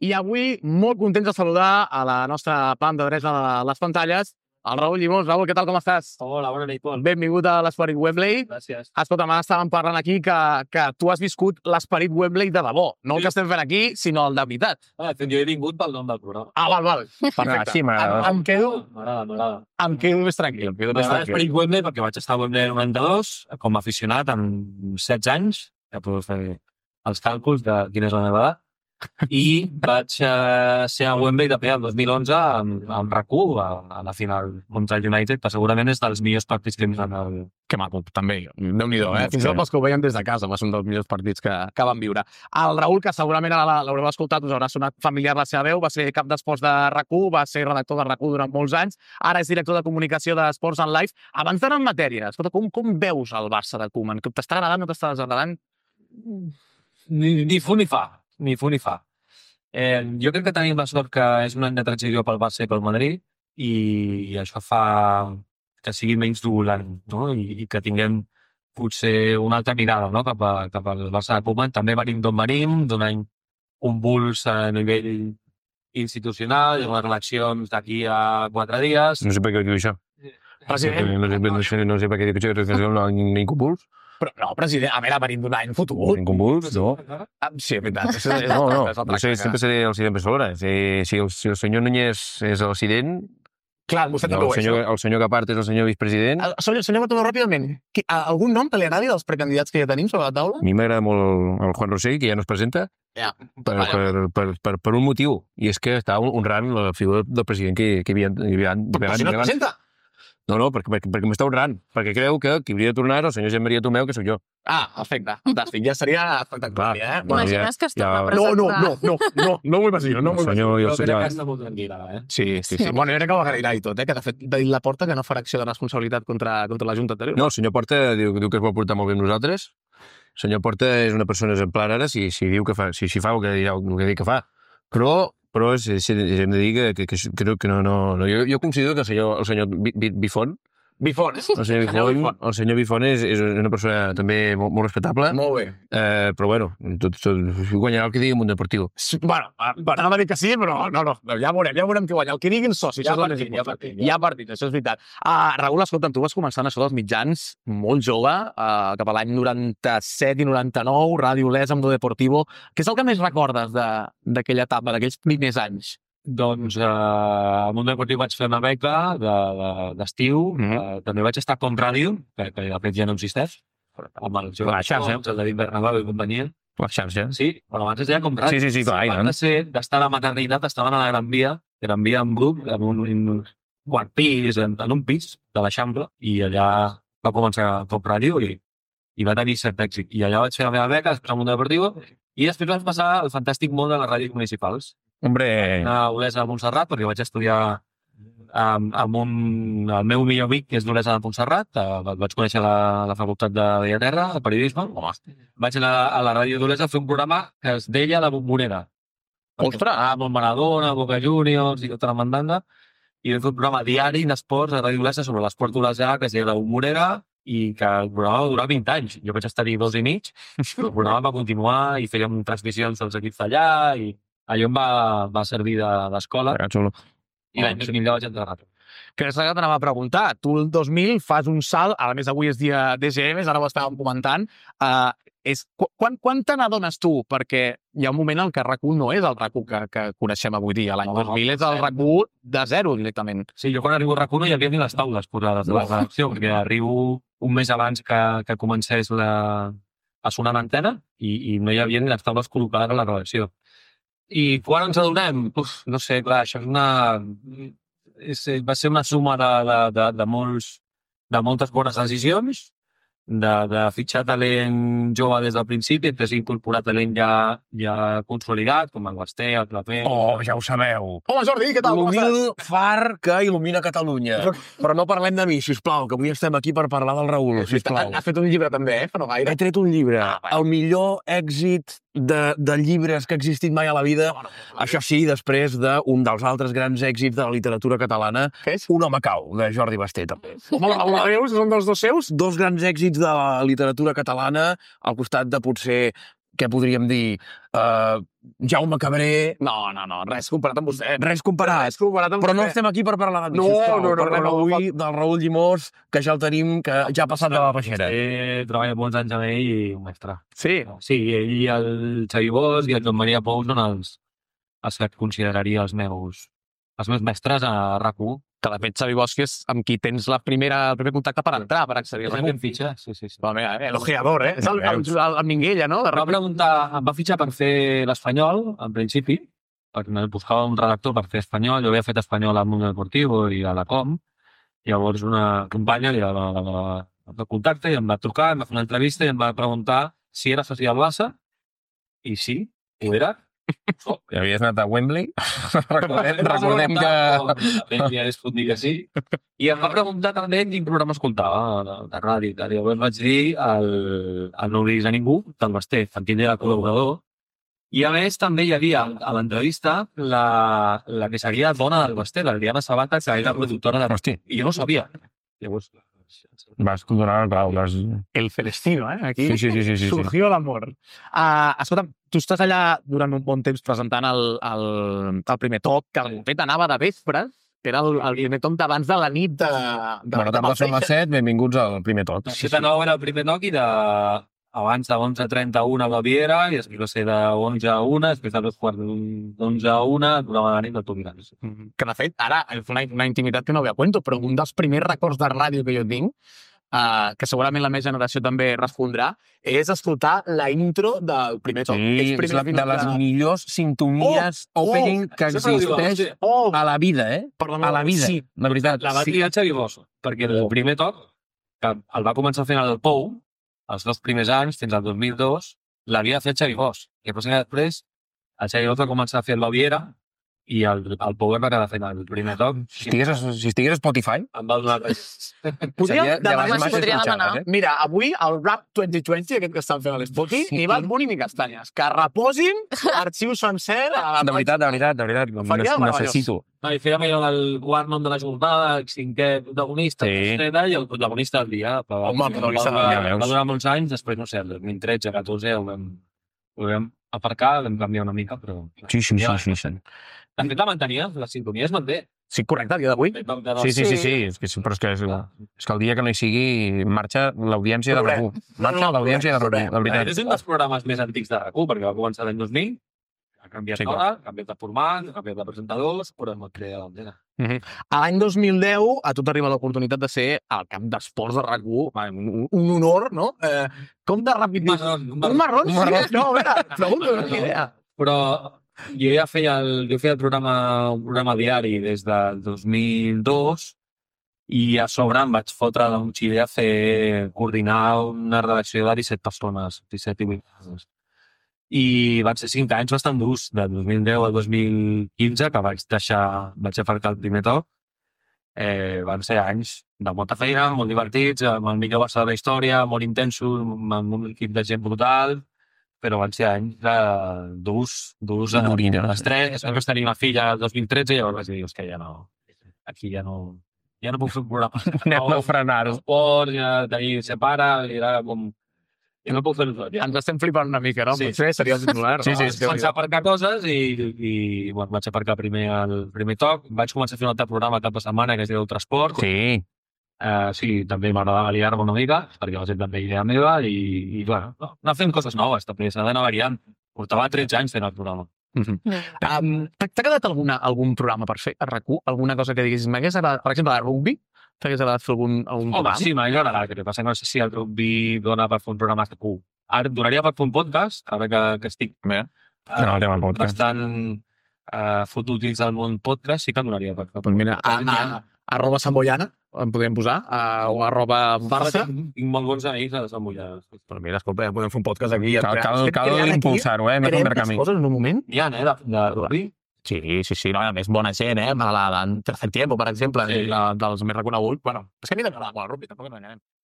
I avui molt contents de saludar a la nostra banda dreta a les pantalles, el Raül Llimós. Raül, què tal, com estàs? Hola, bona nit, Pol. Benvingut a l'Esperit Wembley. Gràcies. Escolta'm, ara estàvem parlant aquí que tu has viscut l'Esperit Wembley de debò. No el que estem fent aquí, sinó el de veritat. Jo he vingut pel nom del programa. Val. Perfecte. Sí, m'agrada. Em quedo M'agrada. més tranquil. M'agrada Esperit Wembley perquè vaig estar a Wembley 92 com a aficionat amb 16 anys. Ja puc fer els càlculs de quina és la meva edat. I vaig ser a Wembley també el 2011 amb RAC1 a la final contra el United, que segurament és dels millors partits que hem vist en el... Que maco, també. Déu-n'hi-do, Fins i tot pels que ho veien des de casa, va ser un dels millors partits que vam viure. El Raül, que segurament l'haureu escoltat, us haurà sonat familiar la seva veu, va ser cap d'esports de RAC1, va ser redactor de RAC1 durant molts anys, ara és director de comunicació d'Esports en Live. Abans d'anar en matèria, escolta, com veus el Barça de Koeman? T'està agradant o t'està desagradant? Ni fu ni fa. Jo crec que tenim la sort que és un any de transició pel Barça i pel Madrid i això fa que sigui menys turbulent, no? I que tinguem potser una altra mirada, no? cap al Barça de Koeman. També venim d'on venim, d'un any convuls a nivell institucional, unes eleccions d'aquí a 4 dies. No sé per què diu això. President. No sé per què diu això, que és un convuls. Però no, president, a veure, venim d'un any fotut. Un convuls, no. Sí, és veritat. No. Sempre seré el president Barcelona. Si el senyor Núñez és el president, clar, vostè també ho és. El senyor Capart és el senyor vicepresident. Senyor Matomeu, ràpidament, algun nom que li agradi dels precandidats que ja tenim sobre la taula? A mi m'agrada molt el Juan Rosell, que ja no es presenta, per un motiu, i és que està honrant la figura del president que hi havia. Però si no es presenta? No, perquè m'està honrant, perquè creu que qui hauria de tornar és el senyor Jean Maria Tomeu, que sóc jo. Perfecte, fantàstic, ja seria espectacular, T'imagines que es torna a presentar? No m'ho imagino, no m'ho imagino. Però crec que està molt tranquil·la, Sí. Bueno, jo crec que ho agrairà i tot, que de fet la porta que no farà acció de responsabilitat contra la Junta anterior. No, el senyor Porta diu que es vol portar molt bé amb nosaltres. El senyor Porta és una persona exemplar ara si diu que fa, si fa el que dirà que fa. Però hem de dir que crec que no. Jo considero que el senyor Bifont, el senyor Bifont és una persona també molt respectable. Molt bé. Però bueno, tot guanyarà el que digui Mundo Deportivo. Bueno, anava a dir que sí, però no. Ja veurem qui guanya. El que diguin socis. Hi ha partit, això és veritat. Raül, escolta'm, tu vas començar en això dels mitjans molt jove, cap a l'any 97 i 99, Ràdio Les, amb Mundo Deportivo. Què és el que més recordes d'aquella etapa, d'aquells primers anys? Doncs al Mundo Deportiu vaig fer una beca d'estiu, també vaig estar com ràdio, que de fet ja no existeix, amb el xarxa, el David Bernabéu i companyia. La xarxa. Sí, però abans es deia com ràdio. Sí, clar. Abans de ser d'estar a la maternitat estaven a la Gran Via en grup, en un quart pis, en un pis de l'Eixample, i allà va començar com ràdio i va tenir cert èxit. I allà vaig fer la meva beca, després al Mundo Deportiu, i després vaig passar al fantàstic món de les ràdios municipals. Hombre... A Olesa de Montserrat, perquè vaig estudiar amb el meu millor amic, que és d'Olesa de Montserrat. Vaig conèixer a la Facultat de Bellaterra, de periodisme. Vaig anar a la ràdio d'Olesa a fer un programa que es deia La Bombonera. Ostres! Amb el Maradona, Boca Juniors i tota la mandanda. I vam fer un programa diari d'esports a Ràdio Olesa sobre l'esport d'Olesa, que es deia La Bombonera, i que el programa va durar 20 anys. Jo vaig estar-hi 2 i mig, però el programa va continuar i fèiem transmissions dels equips d'allà i allò em va servir d'escola i l'any 2000 ja vaig entrar a ràdio. Que és el que t'anava a preguntar. Tu el 2000 fas un salt, a més avui és dia DGM, ara ho estàvem comentant. Quan te n'adones tu? Perquè hi ha un moment en què RAC1 no és el RAC1 que coneixem avui dia. L'any 2000 és el RAC1 de zero directament. Sí, jo quan arribo a RAC1 no hi havia ni les taules posades de la redacció, perquè arribo un mes abans que comencés a sonar l'antena i no hi havia ni les taules col·locades a la redacció. I quan ens adonem? No sé, clar, això va ser una suma de moltes bones decisions, de fitxar talent jove des del principi, després incorporar talent ja consolidat, com el Basté, el Clapé... Ja ho sabeu. Hola, Jordi, què tal? L'humil far que il·lumina Catalunya. Però no parlem de mi, sisplau, que avui estem aquí per parlar del Raül, sisplau. Ha fet un llibre també, fa no gaire. He tret un llibre, el millor èxit de llibres que ha existit mai a la vida. Això sí, després d'un dels altres grans èxits de la literatura catalana, Un home cau, de Jordi Basté, també. Home, són dels dos seus? 2 grans èxits de la literatura catalana, al costat de potser, què podríem dir, Jaume Cabré... No, res comparat amb vostè. Res comparat. Però no estem aquí per parlar de mi, sisplau. Parlem avui del Raül Llimós, que ja el tenim, que ja ha passat de la peixera. Treballa molts anys amb ell i un mestre. Sí? Sí, ell i el Xavi Bosch i el Joan Maria Pou són els que consideraria els meus mestres a RAC1. Que de fet Xavi Bosch és amb qui tens el primer contacte per entrar, per accedir a RAC1. Em fitxa, sí. Elogiador, eh? És el Minguella, no? Em va fitxar per fer l'Espanyol, en principi, perquè buscava un redactor per fer Espanyol. Jo havia fet Espanyol al Mundo Deportivo i a la Com. Llavors una companya li va contactar i em va trucar, em va fer una entrevista i em va preguntar si era soci del Barça. I sí, ho era. I havies anat a Wembley? Recordem que... Ja es pot dir que sí. I em va preguntar també quin programa escoltava de ràdio. Llavors vaig dir el No diguis a ningú, del Basté, en tindria col·laborador. I a més també hi havia a l'entrevista la que seria dona del Basté, l'Adriana Sabata, que era productora de... Hosti. I jo no sabia. Llavors... Vas donar el clau. El Celestino, eh? Aquí Sí. surgió l'amor. Escolta'm, tu estàs allà durant un bon temps presentant el primer toc, que de fet anava de vespres, que era el primer toc d'abans de la nit de... Bona tarda, són les 7, benvinguts al primer toc. De 7 a 9 era el primer toc i abans de 11:31 a Baviera i després va ser de 11 a 1, després de 2:45 a 1, programa de la nit del Tobirans. Que de fet, ara és una intimitat que no ve a cuento, però un dels primers records de ràdio que jo tinc, que segurament la meva generació també respondrà, és escoltar la intro del primer toc. Sí, és de les millors sintonies opening que existeix a la vida, eh? A la vida, de veritat. La va triar Xavi Bosch, perquè el primer toc, que el va començar fent el Pou, els 2 primers anys, fins al 2002, l'havia fet Xavi Bosch. I després el Xavi Bosch va començar a fer el Baviera i el Pou va quedar fent el primer toc. Si estigués a Spotify... Em va donar res. Podria demanar. demanar. Mira, avui el Rap 2020, aquest que estan fent a l'Spotify, ni Bad Bunny ni Castanyes. Que reposin l'arxiu sencer... De veritat, necessito. I fèiem allò del quart nom de la jornada, el 5è protagonista, i el protagonista del dia. Home, el protagonista del dia. Va durar molts anys, després, no sé, el 2013-14 ho vam aparcar, vam canviar una mica, però... Sí. De fet, la mantenia, la sintonia es manté. Sí, correcte, el dia d'avui. Sí. Però és que el dia que no hi sigui marxa l'audiència de RAC1. Marxa l'audiència de RAC1, de veritat. És un dels programes més antics de RAC1, perquè va començar l'any 2000, ha canviat d'hora, ha canviat de format, ha canviat de presentadors, però hem creat l'antena. A l'any 2010, a tu t'arriba l'oportunitat de ser al camp d'esports de RAC1, un honor, no? Com de ràpid... Un marrón? No, a veure, pregunto, no tinc idea. Però jo ja feia un programa diari des del 2002 i a sobre em vaig fotre de motxilla a coordinar una redacció de 17 persones, 17 i 8 persones. I van ser 5 anys bastant durs, de 2010 al 2015, que vaig aparcar el primer toc. Van ser anys de molta feina, molt divertits, amb el millor Barça de la història, molt intensos, amb un equip de gent brutal, però van ser anys durs, estrès. Després tenir una filla el 2013 i llavors vaig dir, que aquí ja no puc fer un programa. Anem a frenar-ho. Esport, ja tenir separa, era com... I no puc fer-ho tot. Ens estem flipant una mica, no? Sí. Potser seria el titular. Sí. Vaig aparcar coses i vaig aparcar primer el primer toc. Vaig començar a fer un altre programa cap de setmana que es diu Transport. Sí. Sí, també m'agradava liar-me una mica, perquè va ser també idea meva i bueno, anar fent coses noves, també s'ha d'anar variant. Portava 13 anys fent el programa. T'ha quedat algun programa per fer a RAC1? Alguna cosa que diguis, m'hagués agradat, per exemple, de rugby? T'hagués agradat fer algun programa? Sí, m'ha agradat. El que passa no sé si el rugby dona per fer un programa a RAC1. Ara donaria per fer un podcast, ara que estic bastant fotut dins del món podcast, sí que donaria per fer. Mira, @samboyana en podríem posar, o @barça. Tinc molt bons amics a Sant Boià. Però mira, escolta, ja podem fer un podcast aquí. Cal impulsar-ho, hem de canviar camí. Coses en un moment? N'hi ha, de rugby? Sí, no, a més, bona gent, la Tercer Tiempo, per exemple, dels més reconeguts. Bueno, és que a mi m'agrada molt el rugby, tampoc no enganyem.